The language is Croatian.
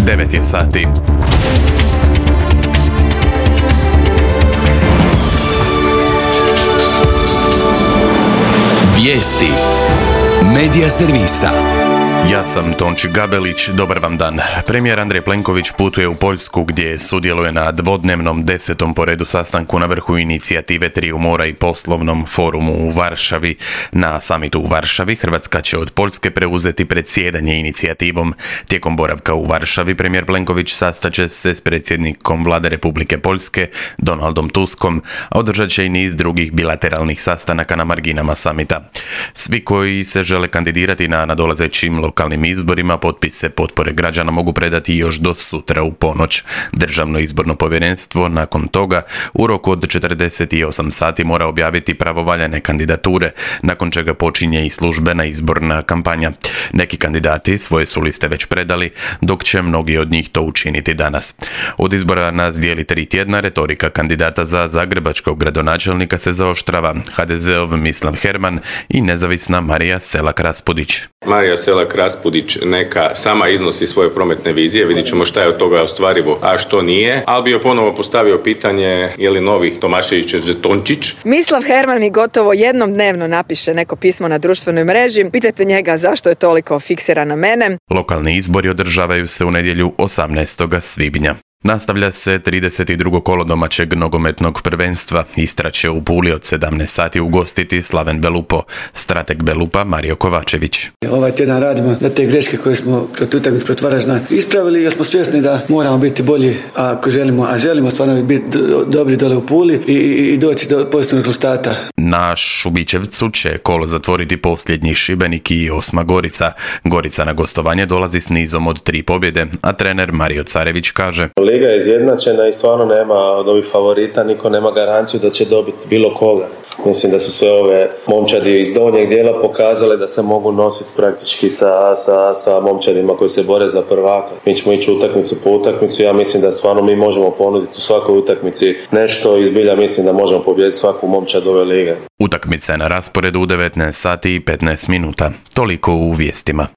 9 je sati. Vijesti Medija servisa. Ja sam Tonči Gabelić, dobar vam dan. Premijer Andrej Plenković putuje u Poljsku gdje sudjeluje na dvodnevnom 10. po redu sastanku na vrhu inicijative Triju mora i poslovnom forumu u Varšavi. Na samitu u Varšavi Hrvatska će od Poljske preuzeti predsjedanje inicijativom. Tijekom boravka u Varšavi premijer Plenković sastaće se s predsjednikom Vlade Republike Poljske Donaldom Tuskom, a održat će i niz drugih bilateralnih sastanaka na marginama samita. Svi koji se žele kandidirati na nadolazećim lokalnim izborima potpise potpore građana mogu predati još do sutra u ponoć. Državno izborno povjerenstvo nakon toga u roku od 48 sati mora objaviti pravovaljane kandidature, nakon čega počinje i službena izborna kampanja. Neki kandidati svoje su liste već predali, dok će mnogi od njih to učiniti danas. Od izbora nas dijeli 3 tjedna, retorika kandidata za zagrebačkog gradonačelnika se zaoštrava. HDZ-ov Mislav Herman i nezavisna Marija Selak-Raspudić. Marija Selak-Raspudić neka sama iznosi svoje prometne vizije, vidit ćemo šta je od toga ostvarivo, a što nije, ali bi joj ponovo postavio pitanje je li novi Tomašević žetončić. Mislav Herman mi gotovo jednom dnevno napiše neko pismo na društvenoj mreži, pitajte njega zašto je toliko fiksiran na mene. Lokalni izbori održavaju se u nedjelju 18. svibnja. Nastavlja se 32. kolo domaćeg nogometnog prvenstva. Istra će u Puli od 17 sati ugostiti Slaven Belupo. Strateg Belupa Mario Kovačević. Ovaj tjedan radimo da te greške koje smo protiv utakmice protiv Varaždina ispravili, jer smo svjesni da moramo biti bolji ako želimo stvarno biti dobri dole u Puli i doći do pozitivnog rezultata. Na Šubićevcu će kolo zatvoriti posljednji Šibenik i Osma Gorica. Gorica na gostovanje dolazi s nizom od 3 pobjede, a trener Mario Carević kaže: Liga je izjednačena i stvarno nema od ovih favorita, niko nema garanciju da će dobiti bilo koga. Mislim da su sve ove momčadi iz donjeg dijela pokazale da se mogu nositi praktički sa momčadima koji se bore za prvaka. Mi ćemo ići utakmicu po utakmicu, ja mislim da stvarno mi možemo ponuditi u svakoj utakmici nešto i zbilja mislim da možemo pobijediti svaku momčad ove lige. Utakmica je na rasporedu u 19 sati i 15 minuta. Toliko u vijestima.